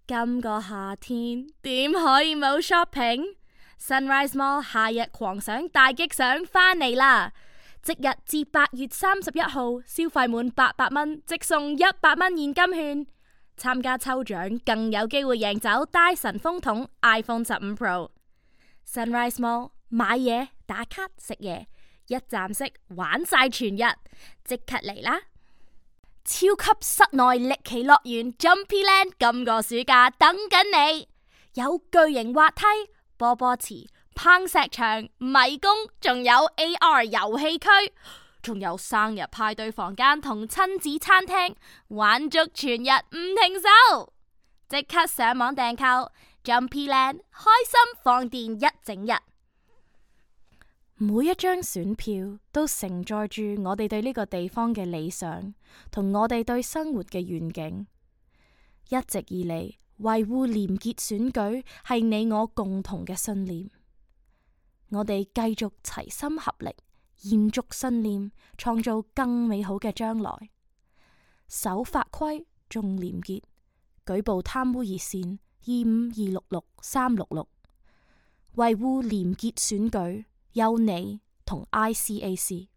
今個夏天點可以冇 shopping？Sunrise Mall 夏日狂想大激賞返嚟啦！即日至8月31號，消費滿800蚊即送100蚊現金券。參加抽獎更有機會贏走戴森風筒 iPhone 15 Pro。Sunrise Mall 買嘢打卡食嘢，一站式玩晒全日，即刻嚟啦！超級室內歷奇樂園 Jumpyland 今個暑假等緊你，有巨型滑梯、波波池、攀石場、迷宮，仲有 AR 遊戲區，仲有生日派對房間同親子餐廳，玩足全日唔停手！即刻上網訂購 Jumpyland， 開心放電一整日。每一張選票都承載住我哋對呢個地方嘅理想，同我哋對生活嘅願景。一直以嚟，維護廉潔選舉係你我共同嘅信念。我哋繼續齊心合力，延續信念，創造更美好嘅將來。守法規，重廉潔，舉報貪污熱線25266366，維護廉潔選舉。有你同 ICAC。